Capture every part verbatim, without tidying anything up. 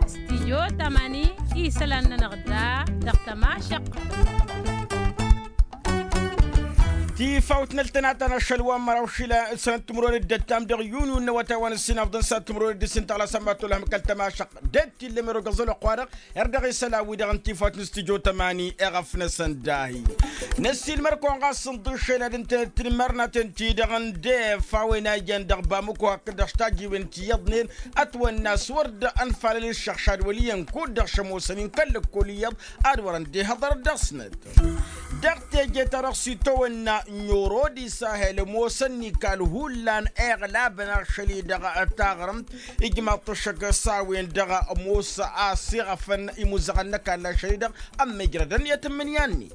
Stijyo tamani isălan-nănăɣ da dăɣ-tămašăqq. Tifawt n-ăltănatăn ašăl wa n-măraw šila sănăt timǝrwen d-ăttam dăɣ-yunyu n-awătay wa n-ǝssin afḍăn s-ad-timǝrwen d-ǝssin tăɣla s-ămmatolăhăm kăl-tămašăqq. Dăt-t-illa merogăẓ ălwăqq-wa-dăɣ. Erdăɣ isălan-wi-dăɣ n-tifawt n-stijyo tămani eɣăf-năsăn dahi. Năssiilmăr-kăwăn ɣas sǝnḍǝššel ad-ǝntănăt tinmărnaten-ti-dăɣ n-def a-wen a ijăn dăɣ-bamǝko hakd-dăɣ s-tajiwen ti iyyăḍnen. Ătwănna s-wăr dd-ănfalăl iššăɣšad wăl' iyyăn kud-dăɣ šămoosăn-in kăl-ǝkkol iyyăḍ ad-wărăn dd-ehăḍărăt dăɣ-snăt. Dăɣ-teje-ta-dăɣ s-itawănna n-orodi sahel ămoosăn n-ikal hullan eɣlabăn ašăl-i-dăɣ taɣrǝmt. Ijmaḍ-t ăššăk s-a-wen dăɣ-ămoos a-s iɣăfăn imuzăɣăn n-ăkall ašăl-i-dăɣ ămmijrădăn i-tǝmmǝnǝya-net.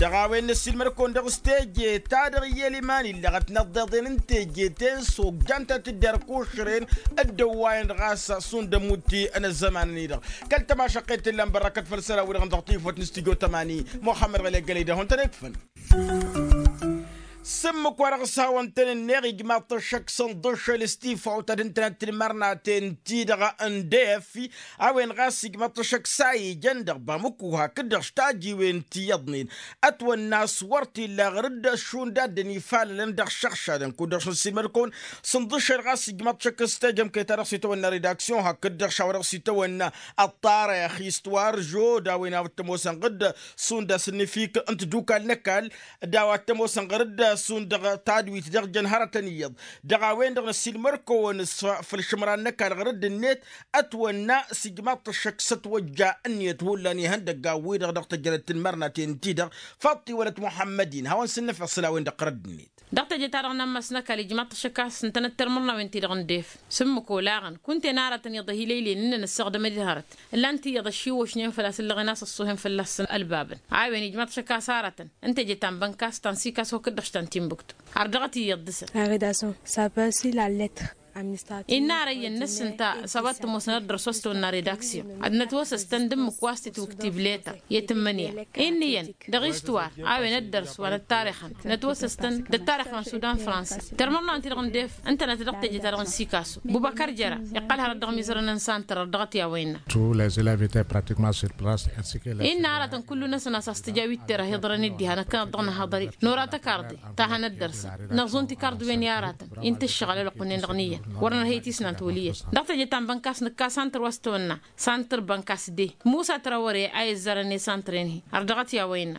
Dăɣ-a-wen năssiilmăd-kăwăn dăɣ-s teje-ta-dăɣ iyyăl iman illăɣăt n-ăḍḍeḍen n-teje-ten s-ojjan ta tǝdder kušren. Dd-ăwwayăn ɣas šund ămutti n-ăzzăman-ni-dăɣ kăl-tămašăqqet tǝllan bărrăkăt făll-isălan-wi-dăɣ dăɣ-tayǝfwăt n-studyo tămani. Muxămmăd ɣăli ăggălăy d-ad-hawăn-tăn-ikfăn. S-ǝmmǝk-wa-dăɣ s-hawăn-tăn-ǝnneɣ ijmaḍ-t ăššăk sănḍǝššăl s-tifawt ad-ǝntănăt tinmărnaten-ti-dăɣ n-def. A-wen ɣas ijmaḍ-t ăššăk s-a ijăn dăɣ-bamǝku hakd-dăɣ s-tajiwen ti iyyăḍnen. Ătwănna a-s wăr t-illa ɣǝr-dd šund a dd-ănifalălăn dăɣ-išăɣšadăn kud-dăɣ šund s-ilmăd-kăwăn. Sǝnḍǝššăl ɣas ijmaḍ-t ăššăk s-tejămkăyt-ta-dăɣ s-itawănna redaksyon hakd-dăɣ šawa-dăɣ s-itawănna ăṭṭarăyăx istwar žo d-a-wen a-wa t-ămoosăn ɣǝr-dd šund a-s ǝnnǝfik n-tadukal n-ăkall d-a-wa t-ămoosăn ɣǝr-dd šund dăɣ-tadwit dăɣ-jăn hărătăn iyyăḍ. Dăɣ-a-wen-dăɣ năssiilmăr-kăwăn s-făll-išǝmran n-ăkall ɣǝr-dd-net. Ătwănna s-ijmaḍ-t ăššăk s-ătwăjja ǝnniyăt hullan ihăndăggan-wi-dăɣ dăɣ-tejănăt tinmărnaten-ti-dăɣ. Faṭṭi wălăt muḥămmăd-in hawăn-sǝnnăfeɣ isălan-wen-dăɣ ɣǝr-dd-net. Dăɣ-teje-ta-dăɣ n-ammas n-ăkall ijmaḍ-t ăššăk a-s ǝntănăt tirmărnawen-ti-dăɣ n-def. S-ǝmmǝk olaɣăn kunta-en aratăn iyyăḍ ăhilăylăyăn ǝnnăn ǝssaɣdăm ad-iḍhărăt. Ǝllan-t iyyăḍ ăššiwăšnen făl-a-s ǝllăɣen a-s ăṣṣuhen fălla-săn ălbabăn. A-wen ijmaḍ-t ăššăk a-s aratăn ǝnta eje ta n-bănkas ta n-sikas hakd-dăɣ ta n-tinbǝktu. Ardăɣăt iyyăḍ dăɣ-săn. Innă ara iyyăn năsǝnta s-a-wa t-ămoosăn ad-dăr-s wa s-tăwănna redaksyon ad-nătwăsăs-tăn d-ǝmmǝk wa s-tǝtwǝktib leta i-tǝmmǝnǝya. Inn'-iyyăn dăɣ-istuwar a-wen ăddărs wa năttarixăn nătwăsăs-tăn d-ăttarix wa n-sudan fransa. Tirmărnawen-ti-dăɣ n-def ǝntănăt dăɣ-teje-ta-dăɣ n-sikasu. Bubăkăr jăra iqqăl hărăt dăɣ-imizărăn n-santăr ărdăɣăt i-a-wa innă. Tous les élèves étaient pratiquement sur place. Innă aratăn kullu-năsăn a-s tǝja wi t-tera hiḍărăn-dd diha năkkăneḍ-dăɣ nǝhhăḍăr-i nora tăkarḍe ta hanăt dăr-s. Năẓun tikarḍiwen i-aratăn-in tǝššăɣǝl ălwăqq-nin-dăɣ n-iyyăn wăr nărhăy tisnant wăl' iyyăn. Dăɣ-teje ta n-bănkas nǝkka santăr wa s-tăwănna santăr bănkas de musa trawăre a izzărăn i-santăr-en-hi. Ărdăɣăt i-a-wa innă.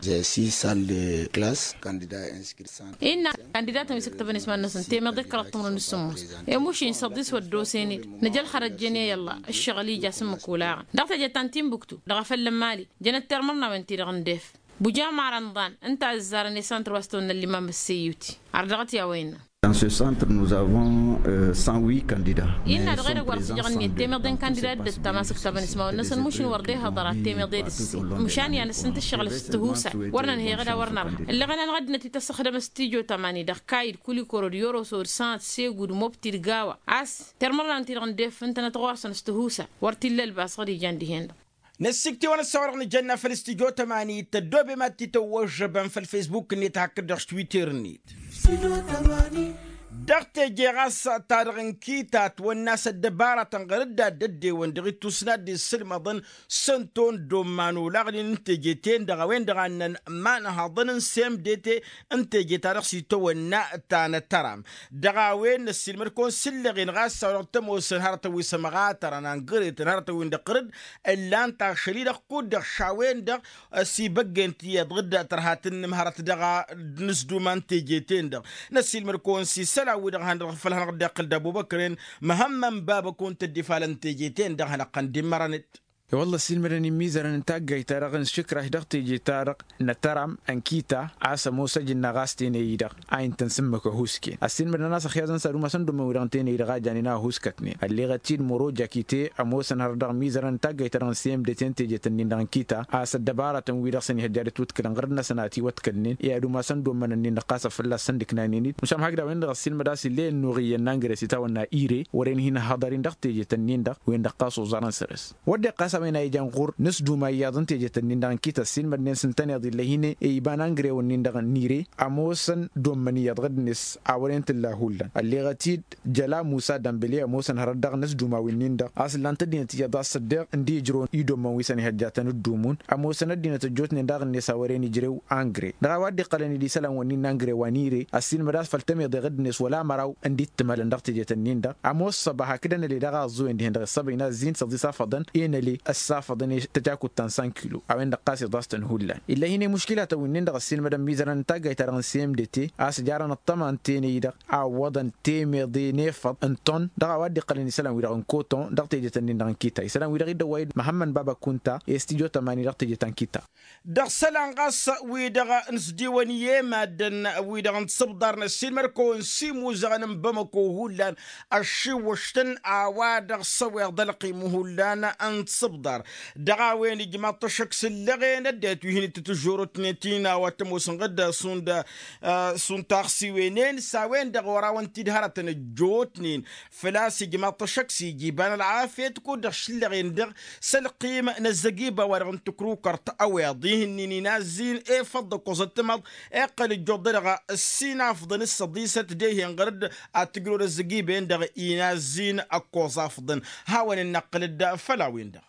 Innă kandidatăn wi s-ǝktăbăn isman-năsăn temeḍe d-kăraḍ timǝrwen d-sǝmmos. Emuš-in săḍis wăr dd-osen-dd nǝja ălxărăt jăn i-ălla ǝššăɣǝl ija s-ǝmmǝk olaɣăn. Dăɣ-teje ta n-tinbǝktu dăɣ-afăl n-mali jănăt termărnawen-ti-dăɣ n-def. Bujama rămḍan ǝnta a ǝzzarăn i-santăr wa s-tăwănna ăllimam ăsseyuti. Ardăɣăt i-a-wa innă. Dans ce centre nous avons cent huit candidats. Innă dăɣ-edăgg wăr tǝjăɣ ǝnniyăt temeḍe n-kandida dd-ăttam a-s ǝktabăn ismawăn-năsăn mušin wăr dd-ehăḍăr ad-temeḍe d-ǝssin. Măšan i-ad-năsǝntǝššăɣǝl s-tǝhusa wăr nănhăyăɣ ed a wăr nărha. Ǝllăɣăn-anăɣ ăddinăt ităssăxdăm s-tijo tămani dăɣ-kayǝd kulikoro d-yorosod sănăt segud mobti d-gawa a-s termărnawen-ti-dăɣ n-def ǝntănăt ɣur-săn s-tǝhusa. Wăr t-illa ălbas ɣǝd ijan dihen-dăɣ. Năssikt'-i-wăn ăssawărăɣ nǝjănna făll-studyo tămani tăddoobem ad-t-tăwwăžžăbăn făll-fesbuk-net hakd-dăɣ s-twitter-net. Dăɣ-teje ɣas ta dăɣ-n kita ătwănna a-s ăddăbaratăn ɣăr-dd ad-dd-ewăn dăɣ-ittus n-ad-dd-issǝlmăḍăn s-ănton d-omman olaɣnen n-teje-ten-dăɣ a-wen-dăɣ a ǝnnăn ma n-haḍăn n-semdete n-teje-ta-dăɣ s-itawănna ta n-ătăram. Dăɣ-a-wen năssiilmăd-kăwăn s-ǝllăɣen ɣas a-wa dăɣ-t-ămoosăn hărătăn wi s-ămɣatărăn angăreten hărătăn-win-dăɣ ɣǝr-dd ǝllan-t ašăl-i-dăɣ kud-dăɣ šawen-dăɣ. S-ibăggen tiyyăḍ ɣǝr-dd tărha tǝnnǝmhărăt dăɣ-a nǝsduma n-teje-ten-dăɣ. Năssiilmăd-kăwăn s-isălan-wi-dăɣ han-dăɣ făll-hanăɣ-dd-iqqǝl d-abubăkrăn măhămmăn babăkon tădd-ifalăn teje-ten-dăɣ hanăɣ-tăn dd-immărăn-dd. I-wălla ăssiilmădăn immizărăn n-taggayt-ta-dăɣ n-išǝkraš dăɣ-teje-ta-dăɣ n-ătăram ănkita a-s ămoos ajǝnna ɣas tenăy-i-dăɣ a intăn s-ǝmmǝk ăhuusken ăssiilmădăn a-s ăxyazăn s-ad-umasăn d-ommăn-wi-dăɣ n-tenăy-i-dăɣ a janen a ăhuuskătnen ălleɣăt-dd măro jakite ămoosăn hărăt dăɣ-imizărăn n-taggayt-ta-dăɣ n-semdeten teje-tăn-in-dăɣ ănkita a-s ăddăbarătăn-wi-dăɣ s-ănihăjja d-ătwătkălăn ɣăr-năsăn a ătiwătkălnen i-ad-umasăn d-ommăn-nin-dăɣ ɣas a fălla-săn d-ǝknaynen-dd măšan hakd a-wen-dăɣ ăssiilmăd a-s ill'-e ănnuɣ iyyăn n-angres itawănna ire wăren hin-ăhhăḍăr-in dăɣ-teje-tăn-in-dăɣ wen-dăɣ ɣas oẓarăn săr-s. Wădden ɣas a-wen a ijan ɣur-nǝsduma iyyăḍ n-tejet-ǝnnin-dăɣ n-kităs s-ilmădnen s-ǝntăneḍ ill'-e-hin-e iba n-angrew-ǝnnin-dăɣ n-ire. Ămoosăn dd-ommăn iyyăḍ ɣǝd-net a wăren tǝlla hullan ălleɣăt-dd jăla musa dămbǝle ămoosăn hărăt dăɣ-inǝsduma wi-nin-dăɣ a-s ǝllan-t ăddinăt iyyăḍ a-s ăddeɣ n-dd-ijrăwăn idommăn wi săn ihăjjatăn ǝddumǝwăn. Ămoosăn ăddinăt ăjjootnen daɣ-net a wăren ijrew angre dăɣ-a-wa dd-iqqălăn-dd isălan-wǝnnin n-angre wa n-ire ăssiilmăd a-s făll-temeḍe ɣǝd-net wăla măraw n-dd-ittǝmălăn dăɣ-tejet-ǝnnin-dăɣ. Ămoos săba hakd ănăle dăɣ-aẓẓuwen dihen-dăɣ iṣṣăbăy n-azzin s-ăẓẓisafăḍăn enăle ăssafăḍăn i-tăjakut ta n-san kilo a-wen-dăɣ ɣas iḍas-tăn hullan. Ill'-e-hin-e muškilatăn wi-nin-dăɣ ăssiilmădăn imizărăn n-taggayt-ta-dăɣ n-semdete a-s jarăn ăṭṭăma n-tenăy-dăɣ a ǝwwăḍăn temeḍe n-efăḍ n-ton dăɣ-a-wa dd-iqqălăn isălan-wi-dăɣ n-koton dăɣ-tejet-ǝnnin-dăɣ n-kita isălan-wi-dăɣ iddăwway-dd măhămmăn baba kunta. I-s tijo tămani dăɣ-tejet ta n-kita. Dăɣ-isălan ɣas wi-dăɣ n-sdiwăn i-e-maddǝn wi-dăɣ n-tisǝbḍar n-ăssiilmăd-kăwăn s-imuzăɣăn n-bamăko hullan ăššiwwăš-tăn a-wa dăɣ-s ăweḍ ălqim hullan n-tisǝbḍar. Dăɣ-a-wen ijmaḍ-t ăššăk s-ǝllăɣen ăddinăt wi hin-ittǝtǝžžorotnen ti n-a-wa t-ămoosăn ɣǝdda šund šund taɣsiwen-en s-a-wen-dăɣ wăr-awăn-t-dd hărătăn ăjjootnen. Făl-a-s ijmaḍ-t ăššăk s-ija iba n-ălɣafyăt kud-dăɣ šǝllăɣen-dăɣ s-ălqim n-ăzzăgiba-wa-dăɣ n-tǝkrukărt ăweḍ ihǝnnin inazzin efăḍ d-ăkkoẓ ăttămaḍ. Iqqăl ǝjjuḍ-dăɣ ăssinafḍăn s-săḍisăt d-ehen ɣăr-dd ad-tǝjrăwăd ăzzăgiba-en-dăɣ inazzin ăkkoẓ afḍăn. Hawăn-dd-năqqǝl-dd făll-a-wen-dăɣ.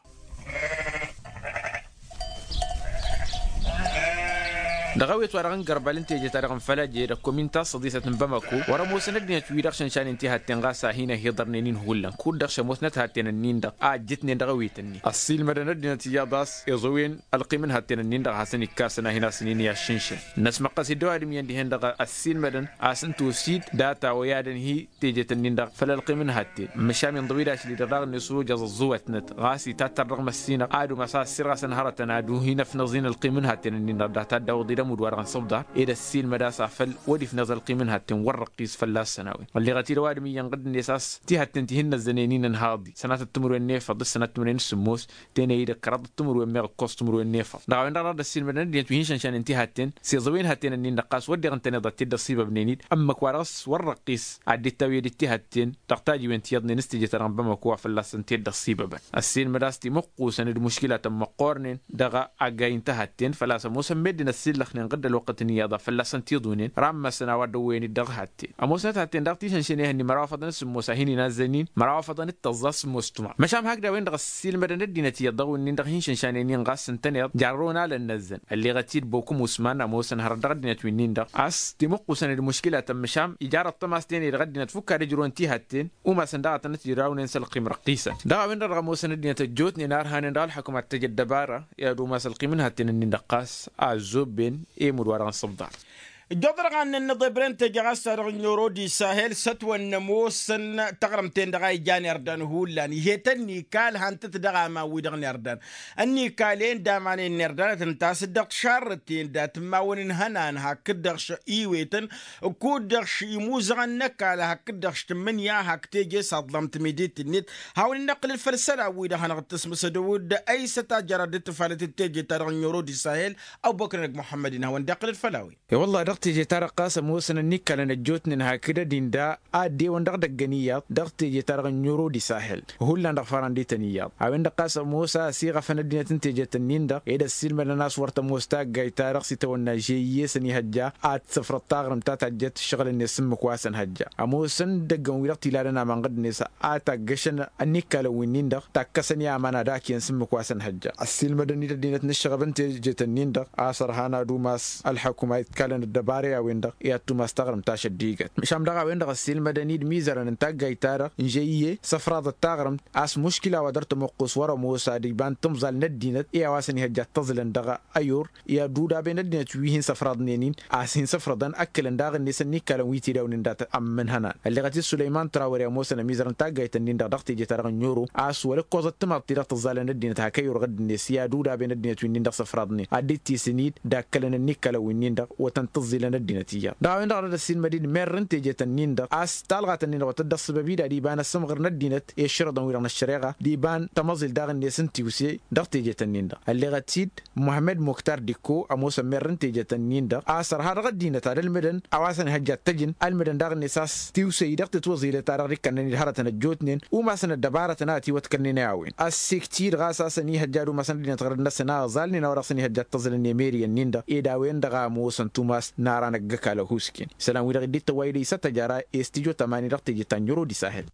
Dăɣ-awet wa dăɣ-n gărbal n-teje-ta-dăɣ n-fălăje d-ăkkomin ta s-săḍisăt n-bamăko wăr-ămoosăn ăddinăt-wi-dăɣ šănšanen tihătten ɣas a hin-ăhiḍărnen-in hullan kud-dăɣ šămoosnăt hatten-ǝnnin-dăɣ a ăjjǝtnen dăɣ-awet-ǝnnin ăssiilmădăn ăddinăt iyyăḍ a-s iẓăwen ălqim n-hatten-ǝnnin-dăɣ a hasăn-ikkasăn a hin-asǝn-in i-aššǝnšăn. Năsmăqqăs-dd ăwadǝm iyyăn dihen-dăɣ ăssiilmădăn a-s ǝnta osid data oyadăn hi-tejet-ǝnnin-dăɣ făll-ălqim n-hatten măšan inḍăw-dd ašli-dăɣ daɣ-net ojăẓ ăẓẓuwătnăt ɣas itattăr dăɣ-măssinăɣ ad-umas a ăssirɣasăn hărătăn ad-wi hin-ăfnăẓ-in ălqim n-hatten-ǝnnin-dăɣ data dd-awǝḍ-dd ămudd-wa-dăɣ n-săbḍar ed ăssiilmăd a-s afăl wăr-ifnăẓ ălqim n-hatten wăr-răqqis fălla-săn a-wen ălleɣăt-dd ăwadǝm iyyăn ɣǝdd-net a-s tihătten ti hin-năzzănen-in ǝnhaḍ-i sănatăt timǝrwen n-efăḍ d-sănatăt timǝrwen n-sǝmmos tenăy-dd ăkkăraḍăt timǝrwen meɣ ǝkkoẓ timǝrwen n-efăḍ. Dăɣ-a-wen-dăɣ dăr-dd-ăssiilmădăn ăddinăt wi hin-šănšanen tihătten s-iẓăwen hătten-ǝnnin-dăɣ ɣas wădden ǝntăneḍ ad-t-dd-ăṣṣibăbnen-dd ămmăk-wa-dăɣ s-wăr-răqqis ad-dd-ittawǝyăd d-tihatten dăɣ-tajiwen tiyyăḍnen s-teje-ta-dăɣ n-bamako wa fălla-săn t-dd-ăṣṣibăbăn. Ăssiilmăd a-s timǝqqusăn d-muškilatăn măqqoornen dăɣ-aggay n-tihatten făl-a-s ămoosăn meddǝn ăssillăxnen ɣǝdd ălwăqqăt n-iyyăḍ a fălla-săn t-iḍunen rammăsăn a-wa dd-ăwwăyăn-dd dăɣ-hatten. Ămoosnăt hatten daɣ ti šănšăn ehăn-i măraw afăḍăn s-sǝmmos a hin-inazzăn-in măraw afăḍăn d-tăẓẓa s-sǝmmos tuma. Măšan hakd a-wen-dăɣ ăssiilmădăn ăddinăt iyyăḍ dăɣ-wǝnnin-dăɣ hin-šănšanen-in ɣas ǝntăneḍ jarrăwăn alăn năzzăn ălleɣăt-dd bokum usman ămoosăn hărăt dăɣ-ăddinăt wi-nin-dăɣ a-s timǝqqusăn d-muškilatăn măšan ijarrăḍ tămas tenăy dăɣ-ăddinăt fukk ad-ǝjrǝwăn tihatten. Umasăn daɣ ad-tăn-ătjrawnen s-ălqim răqqisăn dăɣ-a-wen-dăɣ dăɣ-ămoosăn ăddinăt ăjjootnen a ărhanen dăɣ-ălḥăkum ad-t-ăj ăddăbara i-ad-umas ălqim n-hatten-ǝnnin-dăɣ ɣas a ăzzobben i-imǝd-wa-dăɣ n-săbḍar. Ǝjjoḍăr ɣannăn n-iḍebrăn teje ɣas ta dăɣ-n yoro d-isahel s-ătwănna ămoosăn taɣrǝmt-en-dăɣ a ijan irdan hullan ih'-e tăn-nikal han-tăt dăɣ-aman-wi-dăɣ n-irdan. Ănnikal-en d-aman-en n-irdanăt ǝnta a-s dd-ăṭṭšarrăt-en dat n-imawăn n-ihănan hakd-dăɣ š-iwetăn kud-dăɣ š-imuzăɣăn n-ăkall hakd-dăɣ š-tǝmmǝnǝya hak teje s-aḍlam timidit-net. Hawăn-dd-năqqǝlăl făll-isălan-wi-dăɣ hanăɣ-dd-tǝsmǝsădăw-dd ăysăt a jăra dd-tǝfalăt d-teje-ta-dăɣ n-yoro d-isahel. Ăbubăkr năgg muḥămmăd-in hawăn-dd-iqqǝlăl făll-a-wen. E-wălla-hi dăɣ-teje-ta-dăɣ ɣas ămoosăn ănnikalăn ăjjootnen hakd ăddin da a dd-ewăn dăɣ-idăggăn iyyăḍ dăɣ-teje-ta-dăɣ n-yoro d-isahel. Hullan dăɣ-farăn d-ităn iyyăḍ a-wen-dăɣ ɣas ămoos a ăsiɣăfăn ăddinăt n-tejet-ǝnnin-dăɣ ed ăssiilmădăn a-s wăr tămoos taggayt-ta-dăɣ s-itawănna žeyye s-ănihăjja ad-t-săfrăḍ taɣrǝmt ta tajjăt ǝššăɣǝl-net s-ǝmmǝk wa s-ănhăjja. Ămoosăn idăggăn-wi-dăɣ t-ilalăn aman ɣǝd-net a taggăšăn ănnikalăn wi-nin-dăɣ takkăsăn i-aman ad-akǝyăn s-ǝmmǝk wa s-ănhăjja ăssiilmădăn-dd ăddinăt n-ǝššăɣăb n-tejet-ǝnnin-dăɣ a-s ărhan ad-umas ălḥăkum a itkalăn ăddăbara i-a-wen-dăɣ i-ad-tumas taɣrǝmt ta šăddijăt. Măšan dăɣ-a-wen-dăɣ ăssiilmădăn-dd imizărăn n-taggayt-ta-dăɣ n-žăyye s-ăfraḍăt taɣrǝmt a-s muškila wa dăr-tămoqqus wăr-ămoos ad-iba n-timẓal n-ăddinăt i-a-wa s-ănihăjja d-tăẓlăn dăɣ-ayur i-ad-udaben ăddinăt wi hin-săfraḍnen-in a-s hin-săfrăḍăn ăkkălăn daɣ-net ănnikkalăn wi tidawnen dat-ămmǝnhănan. Ălleɣăt-dd sulăyman trawăre ămoosăn ămizărăn taggayt-ǝnnin-dăɣ dăɣ-teje-ta-dăɣ n-oro a-s wăla ǝkkoẓăt timaḍt-ti-dăɣ tǝẓẓalăn ăddinăt hak ăyur ɣǝdd-net i-ad-udaben ăddinăt wi-nin-dăɣ săfraḍnen ad-dd-tisǝn-dd d-akkălăn ănnikkalăn wi-nin-dăɣ wătăn-tǝẓẓi. Ilăn ăddinăt iyyăḍ dăɣ-a-wen-dăɣ a dăr-ăssinmăd-in merr n-tejet-ǝnnin-dăɣ a-s talɣat-ǝnnin-dăɣ wa tăt-dd-ăṣṣăbăb-dd ad-iba n-ăssămɣăr n-ăddinăt i-ăššărǝḍăn-wi-dăɣ n-ăššăreɣa d-iba n-tamăẓilt daɣ-net n-tiwse dăɣ-tejet-ǝnnin-dăɣ ălleɣăt-dd muhămmăd muktar dikko ămoosăn merr n-tejet-ǝnnin-dăɣ a-s ărha dăɣ-ăddinăt ad-ǝlmǝdăn a-wa s-ănihăjja d-tăjǝn ǝlmǝdăn daɣ-net a-s tiwse-i dăɣ-titwăẓilet-ta-dăɣ d-ikkănnăn-dd hărătăn ăjjootnen umasăn ăddăbarătăn a ătiwătkălnen i-a-wen ăssek-t-dăɣ a-s a-s ănihăjja ad-umasăn ăddinăt ɣărăt-năsăn a ăẓalnen a-wa dăɣ-s ănihăjja d-tăẓǝlăn i-meri-ǝnnin-dăɣ ed a-wen-dăɣ a ămoosăn tumas n-ara n-ăgg-ăkall ăhuusken isălan-wi-dăɣ dd-tăwway d-isăt ăjara i-s tijo tămani dăɣ-teje ta n-yăro d-isahel.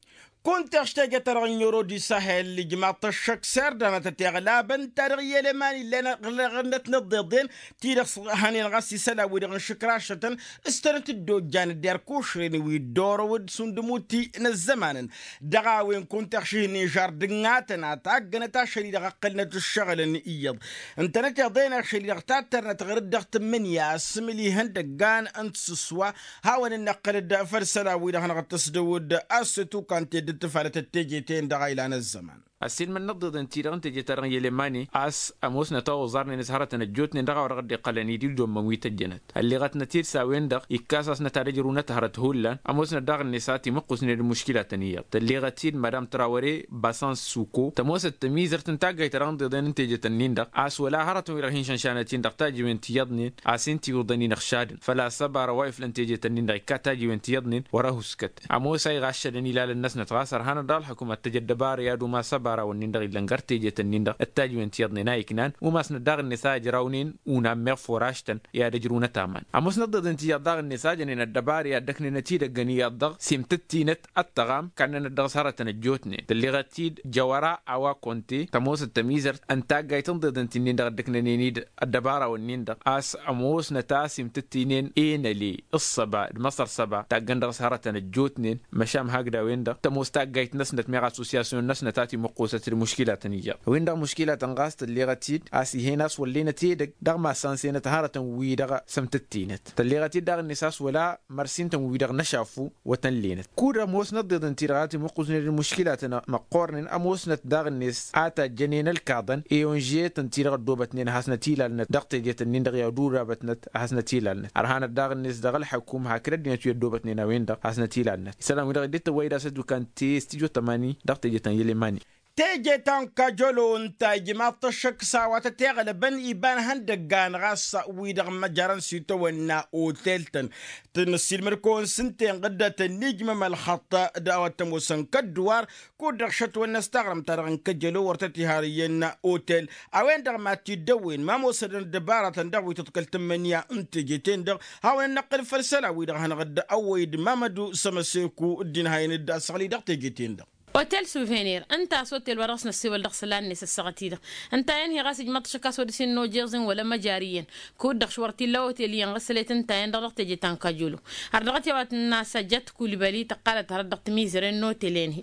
Kunta ăštăjăt-ta-dăɣ n-yăro d-isahel ijmaḍ-t ăššăk s-erdănăt ăteɣlabăn ta dăɣ-i ăleman ill'-en ăɣlăɣ-năt n-ăḍḍeḍen ti-dăɣ s-hănen ɣas isălan-wi-dăɣ n-išǝkrašătăn s-tănăt-dd-ojjan d-erk ušren wi dd-orăw d-sundǝmuti n-ăzzămanăn. Dăɣ-a-wen kunta ăɣšǝhnen žar dǝngatăn a taggănăt ašăl-i-dăɣ ǝqqǝlnăt ǝššăɣǝlăn iyyăḍ ǝntănăt iḍen ašăl-i-dăɣ tattărnăt ɣur-dd dăɣ-tǝmmǝnǝya s-imǝlihăn dăggan n-tisǝswa. Hawăn-dd-nǝqqǝl-dd făll-isălan-wi-dăɣ hanăɣ-dd-tăsdăwǝd a-s s-tukantăy dd-tǝfalăt d-teje-ten-dăɣ a ilan ăzzăman. Ăssiilmăn n-ăḍḍeḍen-ti-dăɣ n-teje-ta-dăɣ n-ilemani a-s ămoosnăt a oẓarnen s-hărătăn ăjjootnen dăɣ-a-wa dăɣ-dd-iqqălăn-dd dd-ommăn wi tăjjănăt ălleɣătnăt-dd s-a-wen-dăɣ ikkas-asnăt ad-ǝjrǝwnăt hărăt hullan ămoosnăt daɣ-net a timǝqqusnen d-muškilatăn iyyăḍ tălleɣăt-dd madam trawăre basans suko tămoosăt tămizărt n-taggayt ta dăɣ-inḍeḍen n-tejet-ǝnnin-dăɣ a-s wăla hărătăn wi-dăɣ hin-šănšanăt-in dăɣ-tajiwen ti iyyăḍnen a-s hin-tiwǝḍăn inăɣšadăn făl-a-s ăbara wa iflăn tejet-ǝnnin-dăɣ ikka tajiwen ti iyyăḍnen wăr-ăhuskăt ămoos a iɣaššădăn ilalăn-năsnăt ɣas ărhan-dd ălxǝkum ad-t-ăj ăddăbara i-ad-umas ăbara-wǝnnin-dăɣ illăn gar tejet-ǝnnin-dăɣ d-tajiwen ti iyyăḍnen a iknan umasnăt daɣ-net a ǝjrawnen unan meɣ furaštăn i-ad-ǝjrǝwnăt aman ămoosnăt ḍeḍen ti iyyăḍ daɣ-net a jănen ăddăbara i-ad-dd-ăknenăt idăggăn iyyăḍ dăɣ-s imtǝttinăt ăttăɣam kannănăt dăɣ-s hărătăn ăjjootnen tălleɣăt-dd jăwăra a-wa kăwăn-te tămoosăt tămizărt n-taggayt n-iḍeḍen ti-nin-dăɣ dd-ǝknănen-dd ăddăbara-wǝnnin-dăɣ a-s ămoosnăt a-s imtǝttinen enăle ǝssăba d-măṣăr săba taggăn dăɣ-s hărătăn ăjjootnen măšan hakd a-wen-dăɣ tămoos taggayt-năsnăt meɣ assosyasyon-năsnăt a timǝqqusăt d-muškilatăn iyyăḍ a-wen-dăɣ muškilatăn ɣas tălleɣăt-dd a-s ih'-en a-s wăllenăt edăgg dăɣ-massan s-enăt hărătăn-wi-dăɣ sămtǝttinăt tălleɣăt-dd daɣ-net a-s wăla mărsintăn-wi-dăɣ n-ašafu wătăn lenăt kud-ămoosnăt ḍeḍen-ti-dăɣ a timǝqqusnen d-muškilatăn măqqoornen ămoosnăt daɣ-net a tajjănen ălkaḍăn i-onžetăn-ti-dăɣ ăddoobătnen ad-hasnăt-ilalnăt dăɣ-tejet-ǝnnin-dăɣ i-ad-urabătnăt ad-hasnăt-ilalnăt ărhanăt daɣ-net dăɣ-ălxăkum hakd ăddinăt wi ăddoobătnen a-wen-dăɣ ad-hasnăt-ilalnăt isălan-wi-dăɣ dd-tăwwăy d-asăt wi kăwăn-te s-tijo tămani dăɣ-tejet ta n-ilemani. Teje ta n-kajolo ǝnta ijmaḍ-t ăššăk s-a-wa tăt-iɣlăbăn iba n-ihăndăggan ɣas wi-dăɣ măjărăn s-itawănna otel-tăn. Tăn-ăssiilmăd-kăwăn s-ǝnta-en ɣǝddătăn n-ijmăm ălxăṭṭ d-a-wa t-ămoosăn kădduwar kud-dăɣ šătwănnăs taɣrǝmt-ta-dăɣ n-kăjălo wăr tăt-iha ăriyyăn otel. A-wen-dăɣ mad-t-dd-ăwwen ma ămoosădăn ăddăbaratăn dăɣ-wi tǝḍkăl tǝmmǝnǝya n-teje-ten-dăɣ. Hawăn-năqqǝl făll-isălan-wi-dăɣ hanăɣ-dd-ăwwăy d-mamădu sămăseku dd-inhayăn-dd asăɣli dăɣ-teje-ten-dăɣ. Otel suvenir ǝnta a-s otel wa dăɣ-s năssewăl dăɣ-isălan-net ăssaɣăt-i-dăɣ ǝnta a inhi ɣas ijmăḍ-t ašăk a-s wăr dăr-s innă ojăẓ-in wăla măjari iyyăn. Kud-dăɣ š-wăr t-illa otel iyyăn ɣǝssălet ǝnta a inhi-dăɣ dăɣ-teje ta n-kajolo. Har dăɣ-t i-a-wa tǝnna sajjat kulibali tăqqalăt hărăt dăɣ-timizăren n-otel-en-hi.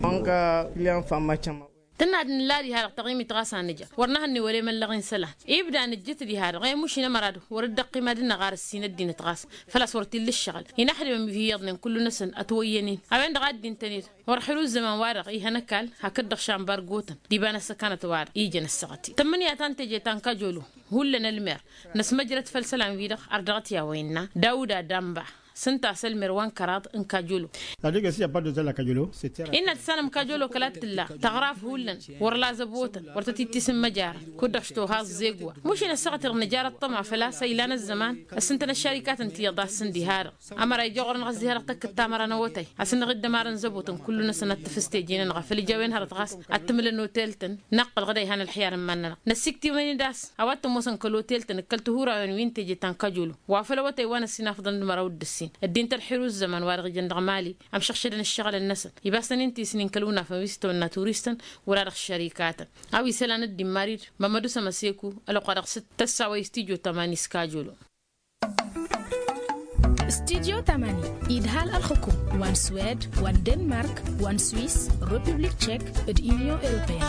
Tǝnna ad-nǝlla diha-dăɣ taɣimit ɣas a nǝja wăr nǝhănne wăla i-măllăɣ-in isălan. Ibda nǝjjǝt diha-dăɣ i-mušin ămăra-dăɣ wăr dd-ăqqim ad-dd-năɣ ar ǝssin ăddinăt ɣas făl-a-s wăr t-illa ǝššăɣǝl. Inăxdimăn wi hi-iyyăḍnen kullu-năsăn ătwăyyăn-in a-wen-dăɣ a dd-intăn-ed. Wăr-ăxrǝw ăzzăman-wa-dăɣ ihăn ăkall hakd-dăɣ šanbargotăn d-iba n-ăssăkanăt-wa-dăɣ ijăn ăssaɣăt-i tămmǝnǝya ta n-teje ta n-kajolo. Hullan ălmer năsmăjrăd făll-isălan-wi-dăɣ ar dăɣ-t i-a-wa innă dawuda damba. S-ǝnta a-s ălmer wa n-kăraḍ n-kajolo. Innă tǝssanăm kajolo kăla t-tǝlla tăɣraf hullan wăr-la zăbotăn wăr tăt-ittisǝmmăjarăn. Kud-dăɣ s-toha ăẓẓeg wa mušin ăssaɣăt-i-dăɣ nǝjar ăṭṭăma făl-a-s a ilan ăzzăman. Ăssintăn ăššarikatăn ti iyyăḍ a ǝssǝn diha-dăɣ ămăra ija ɣur-năɣ ăzzihărăɣ tăkkǝt tamăra n-awătay. Asǝnnăɣ-dd ămarăn zăbotăn kullu-năsăn ad-tǝfǝs teje-nănăɣ a făl ija a-wen hărăt ɣas ad-tǝmǝlăn otel-tăn. Năqqǝl ɣǝd a ihan ălxiyar n-iman-nănăɣ năssiktǝwăn-dd a-s a-wa t-ămoosăn kăl-otel-tăn d-kăl-tihurawen wi n-teje ta n-kajolo. Wa făl awătay wa n-ăssinafḍăn d-măraw d-ǝssin ăddin tălxirǝw ǝzzăman wa dăɣ-ijăn dăɣ-mali ămšăɣšădăn ǝššăɣǝlăn-năsăn. Ibasăn-in tisnin kăl-unafăn wi s-tawănna turistăn wăla dăɣ-ăššărikatăn. A-wa isălan ăddin mari-dd mămădu sămăseku ălwăqq wa dăɣ-s tăssawăy s-tijo tămani s-kajolo. Studyo tamani idhal ălxukum wa n-swed wa n-denmark wa n-swiss, republik tchek, d-union europeyenne.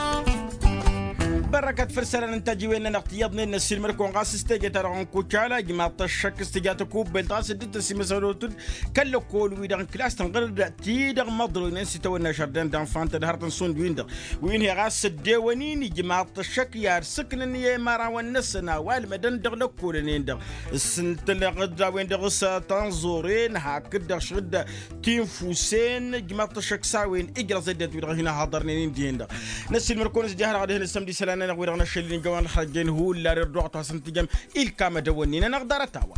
Bărrăkăt făll-isălan n-tajiwen-nănăɣ tiyyăḍnen n-ăssiilmăd-kăwăn ɣas s-teje-ta-dăɣ n-kucala ijmaḍ-t ăššăk s-tǝja tăkubbelt ɣas dd-tăsimăsălotăd kăl-lăkkol-wi-dăɣ n-kilas tănɣăr-dd ti-dăɣ măḍrăwnen s-itawănna žardin d-anfan tadhărăt n-sund-win-dăɣ wi n-hi ɣas ăddewăn-in ijmaḍ-t ăššăk i-ad-sǝknăn i-imărawăn-năsăn a-wa ǝlmădăn dăɣ-lăkkolăn-en-dăɣ s-ǝntăneɣ-dd a-wen-dăɣ s-tanẓoren hakd-dăɣ šăɣ-dd tinfusen ǝjmaḍ-t ăššăk s-a-wen ijrăẓ eddent wi-dăɣ hin-ăhaḍărnen-in dihen-dăɣ. Năssiilmăd-kăwăn s-dd-iha-dăɣ ad-ihăn s-ămd isălan-nănăɣ wi-dăɣ năšăl-in jăwăn ălxărăjjen hullan irduɣ ad-t-hasăn-tǝjăm ilkam ad-ăwwănnin-anăɣ ḍarăt-a-wa.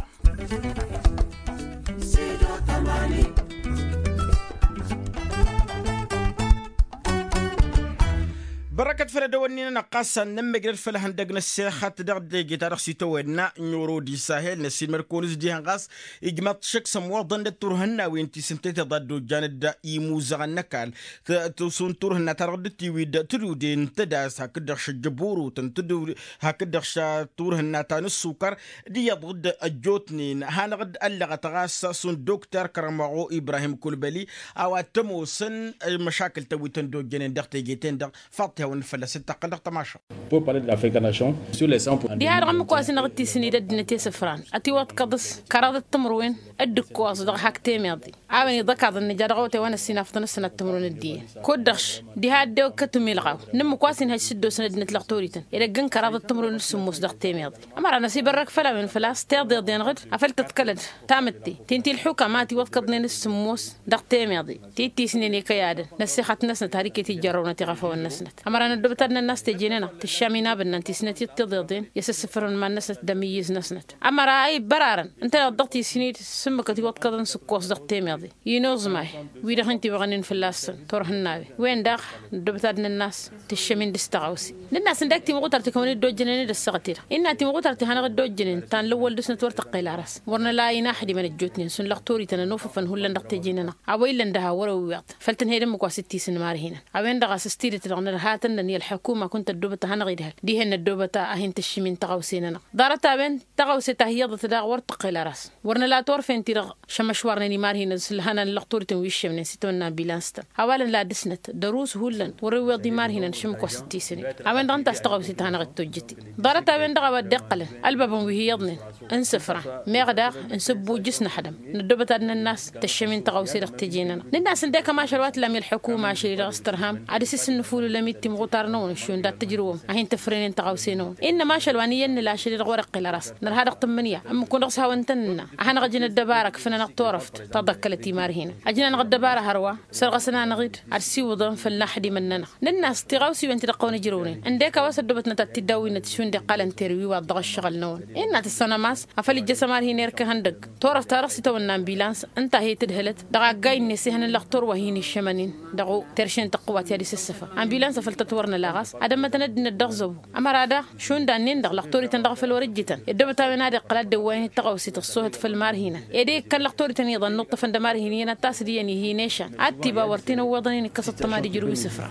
Bărăkăt făll-edăwănnin-anăɣ ɣas ad-nămmăjrăd făll-ehăndăg n-ăssexăt dăɣ-teje-ta-dăɣ s-itawănna n-oro d-isahel năssiilmăd-kăwăn s-dd-ihăn ɣas ijmaḍ-t šăkk s-ămwăḍăn d-turhǝnnawen ti s-ǝnta i-tiḍa ăddojjan-dd imuzăɣăn n-ăkall. Tǝsǝw n-turhǝnna-ta-dăɣ dd-tiwid tǝluden tădas hakd-dăɣ šăjjăburutăn tǝdǝw hakd-dăɣ ša turhǝnna ta n-ǝssukăr d-iyyăḍ dd-ăjjootnen hanăɣ-dd ăllăɣăt ɣas šund dokter kărămăɣu ibrahim kulbăli. A-wa t-ămoosăn măšakǝl-tăn wi tăn-dd-ojjănen dăɣ-teje-ten-dăɣ. Faḍt-i hawăn-nǝfălla s-dd-taqqăl dăɣ-tămašăɣ. Diha-dăɣ ǝmmǝk wa s-inăɣ d-tisǝnni d-ăddinăt i-isǝfran ătiwăḍkăḍ s-kăraḍăt timǝrwen d-ǝkkoẓ dăɣ-hak temeḍe. A-wen iḍăkaḍăn nǝja dăɣ-awătay wa n-ăssinafăḍăn ăssănat timǝrwen d-iyyăn kud-dăɣ. Diha ăddewăkkăt umilɣaw n-ǝmmǝk wa s-inhăj s-dd-osăn ăddinăt lăɣ torităn edăgg n-kăraḍăt timǝrwen d-sǝmmos dăɣ-temeḍe. Ămăra n-ăsibărrăk făll-a-wen făl-a-s tiḍeḍ-enăɣ-dd afăl tăḍkălăd tamǝtte ti n-tilḥuka ma ătiwăḍkăḍnen s-sǝmmos dăɣ-temeḍe ti t-isnen i-kăy-adăn n-ăssixăt-năsnăt har iket ijjărrăwnăt iɣăfawăn-năsnăt. Ămăra n-ăddoobăt ad-nănn'-as teje-nănăɣ tǝššam inabǝnnan ti s-nătiḍ tiḍeḍen i-asǝssǝfrăn iman-năsnăt d-amǝyyǝz-năsnăt. Ămăra a ibbărarăn ǝnta iyyăḍ dăɣ-tisǝnni d-sǝmmǝk ătiwăḍkăḍăn s-ǝkkoẓ dăɣ-temeḍe. Inǝẓmay wi-dăɣ hin-tiwăɣnen fălla-săn turhǝnnawen wen-dăɣ n-ăddoobăt ad-nănn'-as tǝššăm-in dăɣ-s tăɣawse. Nǝnn'-as ǝndek timɣutar ti kăwăn-dd-ojjănen d-ăssaɣăt-i-dăɣ innă timɣutar ti hanăɣ-dd-ojjănen ta n-lăwwăl dăɣ-snăt wăr tăqqel aras wăr năla inaxdimăn ăjjootnen šund lăɣ torităn ănofăfăn hullan dăɣ-teje-nănăɣ. A-wa illăn dăɣ-ha wăr-e ǝwwiḍ făll-tǝnhăy d-ǝmmǝk wa s-dd-tisǝnmar-hinăn. A-wen-dăɣ a-s s-tidǝt-dăɣ nărhatăn-năn i-ălḥukuma kunta ăddoobăt ad-hanăɣ-idhăl dihen n-ăddoobăt a hin-tǝššǝm-in tăɣawse-nănăɣ. Ḍarăt-a-wen tăɣawse ta hi-iyyăḍăt daɣ wăr tăqqel aras. Wăr năla turfen-ti-dăɣ šămăšwarnen imarhinăn s-ǝlhăna n-lăɣ torităn wi ǝššămnen s-itawănna ambilans-tăn. A-wa lăn la dăɣ-snăt dăr-us hullan wăr-iwweḍ imarhinăn šǝmmǝk wa s-dd-tisǝned. A-wen-dăɣ ǝnta a-s tăɣawse ta hanăɣ-dd-tojjăte. Ḍarăt-a-wen-dăɣ a-wa dd-iqqălăn ălbabăn wi hi-iyyăḍnen n-isǝfran meɣ daɣ n-isǝbbujjǝs n-axdăm n-ăddoobăt ad-nănn'-as tǝššăm-in tăɣawse dăɣ-teje-nănăɣ. Nǝnn'-as ǝndek ămašal wa t-lam i-ălḥukuma ašăl-i-dăɣ s-tărham ad-dăɣ-s ǝssǝnnǝfulǝlăm-dd timɣutar-năwăn šund ad-tǝjrǝwăm ad-hin-tǝfrǝnen tăɣawse-năwăn. Innă ămašal wa n-iyyăn nǝla ašăl-i-dăɣ wăr-iqqǝl ăras nărha dăɣ-tǝmmǝnǝya ǝmmǝk-wăn dăɣ-s hawăn-tăn-nǝnna. A hanăɣ-ǝjǝn ăddăbara ǝkfǝn-anăɣ turăft ta ḍăkkălăt imarhinăn. Ăjǝn-anăɣ ăddăbara hărwa sărɣăsăn-anăɣ-dd ad-siwǝḍăn făll-inaxdimăn-nănăɣ. Nǝnn'-as tiɣawsiwen ti dăɣ-kăwăn-ǝjrăwnen ǝndek a-wa s-ăddoobătnăt ad-t-dd-awǝynăt šund iqqălăn terwi wa dd-dăɣ-ăššăɣǝl-năwăn. Innă tǝssanăm a-s afăl ijjăs ămarhin erk ihăndăgg turăft-ta-dăɣ s-itawănna ambilans ǝnta a hi-tǝdhǝlăt dăɣ-agg a innă isihăn n-lăxtur wa hin-iššămăn-in dăɣ-terše n-tăqqǝwat i-ad-isǝssǝfăr. Ambilans afăl tăt-wăr nǝla ɣas ad-ămmătăn ăddinăt dăɣ-zăbu. Ămăra daɣ šund a-nin-dăɣ lăxtorităn dăɣ-făl wăr-ǝjjǝtăn i-ăddobăt a-wen ad-iqqăl ad-dd-ăwwayăn i-tăɣawse tăṣṣohăt făll-imarhinăn. Ed e-ikkăn lăxtorităn iyyăḍ ănnuṭṭăfăn d-ămarhin iyyăn ad-tasǝd iyyăn ih'-in ešan ad-tiba wăr t-in-ăwweḍăn-in ikkăs ăṭṭăma d-ijrǝw isǝfra.